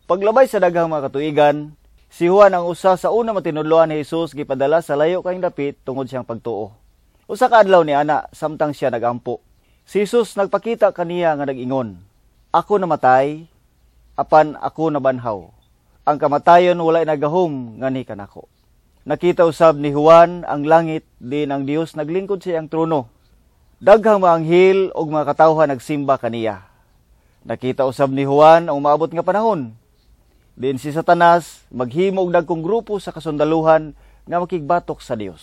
Paglabay sa daghang mga katuigan, si Juan ang usa sa una matinudloan ni Jesus gipadala sa layo kayong dapit tungod siyang pagtuo. Usa ka adlaw ni ana samtang siya nagampo, si Jesus nagpakita kaniya nga nag-ingon, "Ako namatay, apan ako nabanhaw. Ang kamatayon walay nagahom nganhi kanako." Nakita usab ni Juan ang langit din ang Dios naglingkod sa iyang trono. Daghang mga anghel ug mga katawhan nagsimba kaniya. Nakita usab ni Juan ang umaabot nga panahon din si Satanas maghimo og dagkong grupo sa kasundaluhan nga makigbatok sa Dios.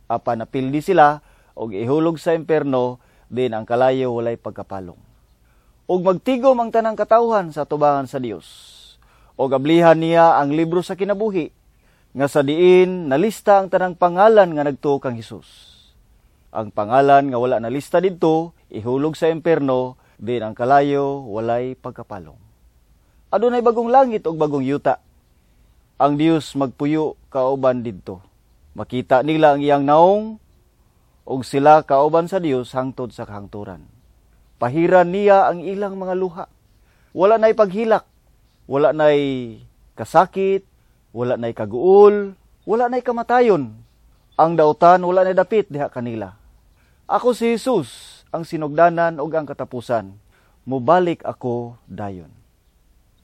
Apan napildi sila og ihulog sa impierno din ang kalayo walay pagkapalong. Ug magtigom ang tanang katawhan sa tubangan sa Dios. Og ablihan niya ang libro sa kinabuhi nga sa diin nalista ang tanang pangalan nga nagtuo kang Hesus. Ang pangalan nga wala nalista didto ihulog sa impierno din ang kalayo walay pagkapalong. Adunay bagong langit ug bagong yuta. Ang Dios magpuyo kauban didto. Makita nila ang iyang naong ug sila kauban sa Dios hangtod sa kahangturan. Pahiran niya ang ilang mga luha. Wala na'y paghilak, wala na'y kasakit, wala na'y kaguol, wala na'y kamatayon. Ang dautan wala na'y dapit diha kanila. Ako si Jesus, ang sinugdanan ug ang katapusan. Mubalik ako dayon.